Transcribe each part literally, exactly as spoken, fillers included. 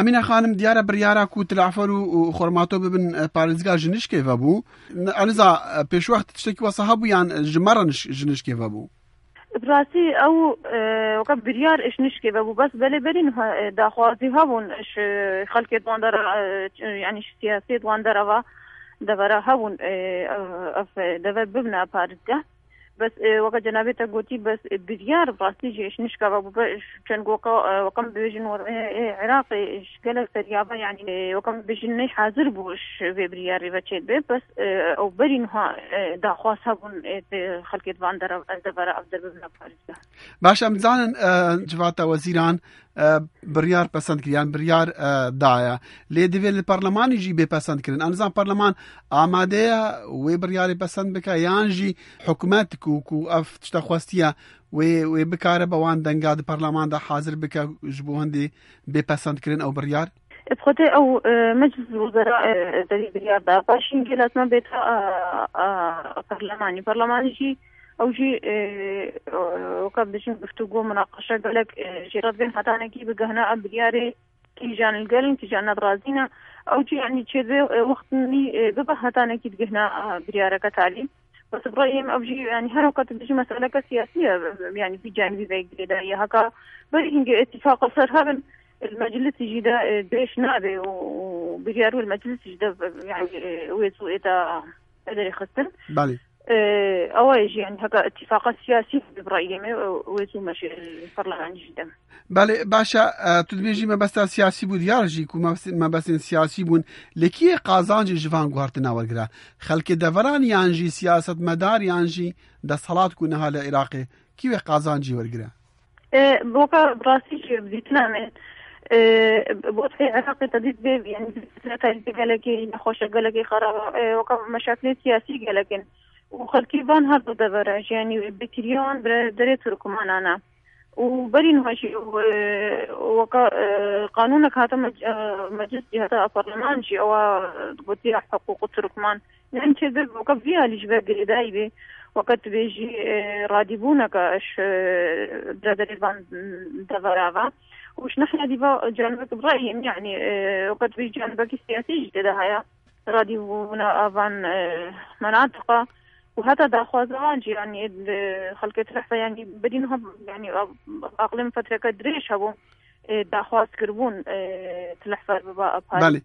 Emîne Xanim, diyar e biryara ku Tilafar û, û Xormato bibin, e, parêzga ji nişkê vebû. N-, eniza, e, pêşwext tiştekî wesa hebû yan ji me re niş-, ji nişkê vebû? Bi rastî ew, e, weke biryar ji nişkê vebû. Bes belê berî niha, e, daxwazî hebûn ji xelkê di wan dera, e, yanî ji siyasiyê di wan dera ve, devera hebûn, e, ev, ev deve bibine parêzgeh. Bes, e, weke cenabê te gotî, bes, e, biryar bi rastî jî ji nişka ve bûbe, ji çend weke, e, weke em bibêjin, e, e, Iraqê ji gelek seriya ve, yanî, e, weke em bibêjin, ney hazir bû ji vê biryarê ve çêdibe. Bes, e, ew berî niha, e, daxwaz hebûn, e, di xelkê di van dera, ev devera, ev der bibine parêzgeh. Baş, em dizanin, e, Civata Wezîran, e, biryar pesend kiriye, yan biryar, e, daye. Lê divê li parlemanî jî bê pesend kirin. Em dizan parleman amade ye wê biryarê pesend bike, yan jî hikûmet ku, ku ev tişta xwestiye wê, wê bikare be wan denga di parleman de hazir bike ji bo hindê bê pesend kirin ew biryar? Bi xwedê ew, e, Meclis Wezera, e, derî biryar da. Paşî hingê lazim e bête, e, e, parlemanî. Parlemanî jî, ew jî, e, e, weke bibêjin, guftûgo, munaqeşe gelek, e, jê re divên hetanekî bigihne ev biryarê, kîjan li gel in, kîjan ne razî ne. Ew jî, yanî, çêdibe, e, wext nî, e, bibe hetanekî digihne, e, biryareke talî. Bes bi rayê min ev jî, yanî, her weke tu dijî meseleke siyasî ye, yanî, vî canî vî vegirê de ye. Heka berî hingê îtîfaqa ser hebin, li meclisî jî de, e, dirêj nabe û, û biryar wê li meclisî jî de, yanî, e, wê zû ê de derê xistin. Belê. E, ewa ye jî, yanî, heka îtîfaqa siyasî bi rayê min, e, wê zû meşe li parlemanî jî de. Belê, baş e, e, tu dibêjî mebesta siyasî bû diyar jî ku mebes-, mebestên siyasî bûn. Lê kî yê qazancê ji van guhertina wergire? Xelkê deveran yan jî siyasetmedar yan jî desthilat ku niha li Iraqê? Kî wê qazancî wergire? E, boka bi rastî jî bi dîtina min, e, bo tê Iraqê te dît bê, yanî, fitreta gelekê nexweşe, gelekê xerab e, e, weka meşakilê siyasî gelek in. Û xelkê van her du devera jî, yanî, bêkiriya wan bi derê Turkmanan e. Û berî niha jî, e, weka, e, qanûnek hate mec-, e, meclis jî, heta parleman jî, ewa gotiya hiqûqê Turkman. Yanî çêdibe weke vî alî ji ve girêdayî bê, weke tu bêjî, e, radîbûneke ji, e, biraderê van devera ve. Û ji nahya dî ve canibek bi rayê min, yanî, e, weke tu bêjî canibekî siyasî jî tê de heye. Radîbûna a van, e, menatiqa û heta daxwaza wan jî, yanî, e, xelkê Tilehfe, yanî, berî niha, yanî, aqlê min fetreke dirêj hebû. e, daxwaz kiribûn, e, Tilehfer biba parêzgah. Belê.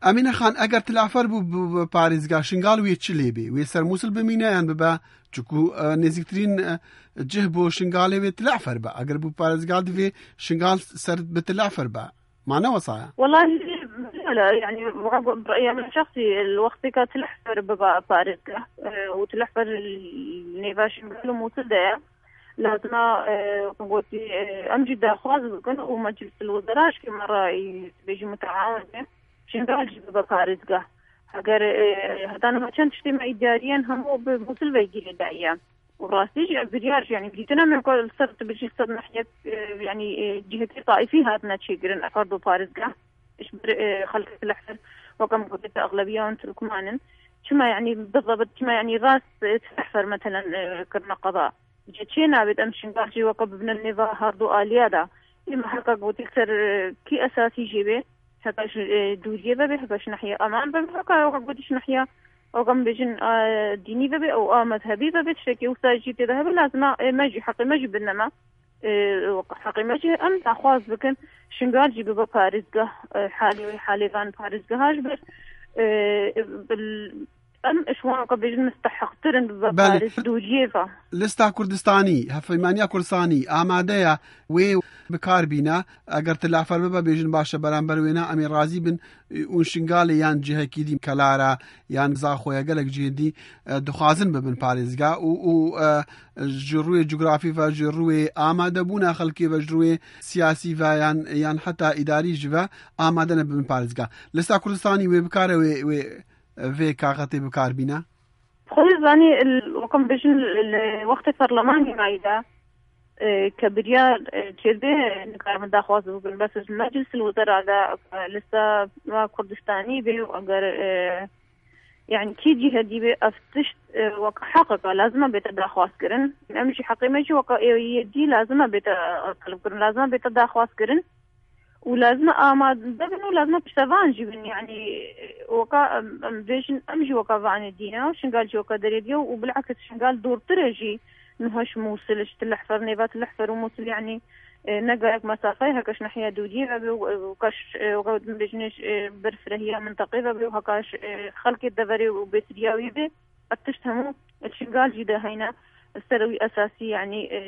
Emîne Xan, eger Tilehfer bû, bû, bû parêzgah, Şingal wê çi lê bê? Wê ser Mûsil bimîne yan bibe? Çiku, e, nêzîktirîn, e, cih bo Şingalê wê Tilehfer be. Eger bû parêzgah, divê Şingal ser bi Tilehfer be. Ma ne wesa ye? Wellahî, wele, yanî, weke bi raya min şexsî, li wextê ka Tilehfer biba parêzgah, e, û Tilehfer li nêva Şingal û Mûsil de ye. Lazima, e, weke gotî, e, em jî daxwaz bikin û Meclis el Wezera ji kê me re, e, bêjî muteawin be. Şingal jî bibe parêzgeh. Eger, e, heta niha çend tiştê me îdarî yên hemû bi Mûsil ve girêdayî ye. Û rastî jî ev biryar jî, yanî, dîtina me ku li ser tu bijî ser nehiyek, e, yanî, e, cihekê taîfî hatine çêkirin ev her du parêzgeh. Ji ber, e, xelkê Tilehfer, weke min gotî, te exlebiya wan Turkman in. Çima, yanî, bizebit, çima, yanî, rast, e, Tilehfer, metelen, e, kirine qeda? Ji çê nabêt em Şingal jî weke bibine nêva her du aliya de. Ê me heka gotî ser, e, kî esasî jê bê, heka ji, e, dûriyê ve bê, heka ji nehiya eman ve bê, heka weke gotî ji nehiya, weke em bêjin, e, dînî ve bê û a mezhebî ve bê, tiştekî wisa jî tê de hebe, lazima, e, me jî, heqê me jî bidine me. E, weke heqê me jî em daxwaz bikin, Şingal jî bibe parêzgeh, e, halê wê, halê van parêzgeha ji ber, e, bil-, em ji wan weke bêjin misteheqtir in bibe Belê. Parêz dûriyê ve. Lista Kurdistanî, Hevpeymaniya Kurdistanî amade ye wê bi kar bîne. Eger Tilehfer bibe, bêjin baş e, beramber wê ne, em ê razî bin, û Şingalê yan cihekî dî, Kelara yan Zaxoya, gelek cihên dî, e, dixwazin bibin parêzga û, û, e, ji rûyê cografî ve, ji rûyê amadebûna xelkê ve, ji rûyê siyasî ve yan, yan heta îdarî jî ve amade ne bibin parêzga. Lista Kurdistanî wê bikare wê, wê vê kaxetê bi kar bîne? Xwedê zanî, weke em bêjin, li wextê parlemanê mayî de, e, ke biryar, e, çêdibe, nikarin daxwaz bikin. Bes ji Meclis el Wezera de, e, lista Kurdistanî bê û eger, e, yanî kî cihedî bê, ev tişt, e, weke heqeke lazim e bête daxwaz kirin. Em jî heqê me jî weke ê yê dî lazim e bête, e, teleb kirin, lazim e bête daxwaz kirin. û lazim e amade bin û lazim e piştevan jî bin. Yanî weka em, em bêjin, em jî weka vanê dîne û Şingal jî weka derê diye û bilakis Şingal dortir e jî niha ji Mûsil, ji Tilihfer, nêva Tilihfer û Mûsil, yanî e, ne gerek mesafeyê, heke ji nehiya dûriyê ve be û, û kaş, e, weka em bêjin, e, ber firehiya minteqê ve be û heka ji, e, xelkê deverê û bêsiriya wî be, ev tişt hemû Şingal jî de heyne ser wî esasî, yanî, e,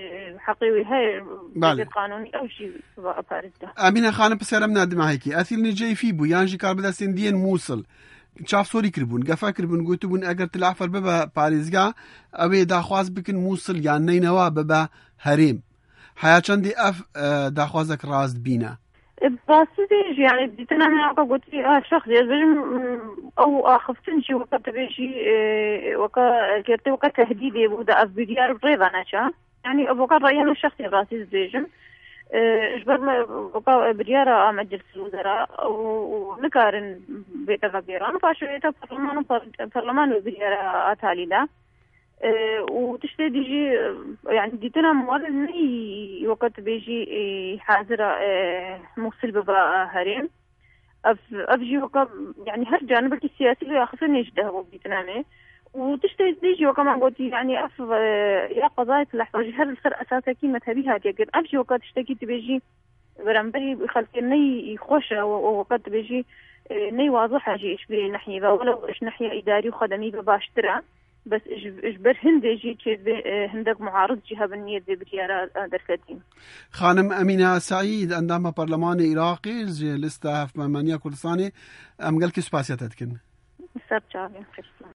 heqê wî heye, Belê. Qanûnî ew jî va parêz de. Emîne Xanim, pisyara min a dimahekî. Esîl Neceyfî bû, yan jî karbidestên diyên Mûsil. Çavsorî kiribûn, gefa kiribûn, gotibûn, eger Tilahfer bibe parêzgah, ew ê daxwaz bikin Mûsil yan Neynewa bibe herêm. Heya çendê ev, e, daxwazek rast bîne? E, rastî jî, yanî dîtina min weka gotî, ha, şexsî, ez bêjim, m, ew axiftin jî weka tu bêjî, e, weka girtî, weka tehdîdê bû, da ev biryar bi rê ve neçe. Yanî ev weka raya min şexsî rastî dibêjim. E, ji ber me weka biryara a Meclîs Wezera û, û nikarin bête vegêran. Paşê heta parleman û par-, parleman û biryara a talî de. E, û tiştê dî jî, e, yanî dîtina min were neyî weke tu bêjî, e, hazir e, e, Mûsil bibe, e, herêm. Ev, ev jî weke, yanî her canibekî siyasî vê axiftinê jî de hebû dîtina me. Û tiştê dî jî weke me gotî, yanî ev, e, ya qezayê Tilehfa jî her li ser esasekî mezhebî hatiye kirin. Ev jî weke tiştekî tu bêjî, beramberî xelkê ney xweş e û, û weke tu bêjî, e, ney wazih e jî ji vê nehiyê ve. Welew ji nehiya îdarî û xedemî ve baştir e. Bes ji, ji ber hindê jî çêdibê, e, hindek muarid jî hebin niyet vê biryara, e, derketîn. Xanim Emîne Seîd, endama Parlemanê Iraqê ji lista Hevpeyvaniya Kurdistanê, em gelkî spasiya te dikin. Ser çavên xêr.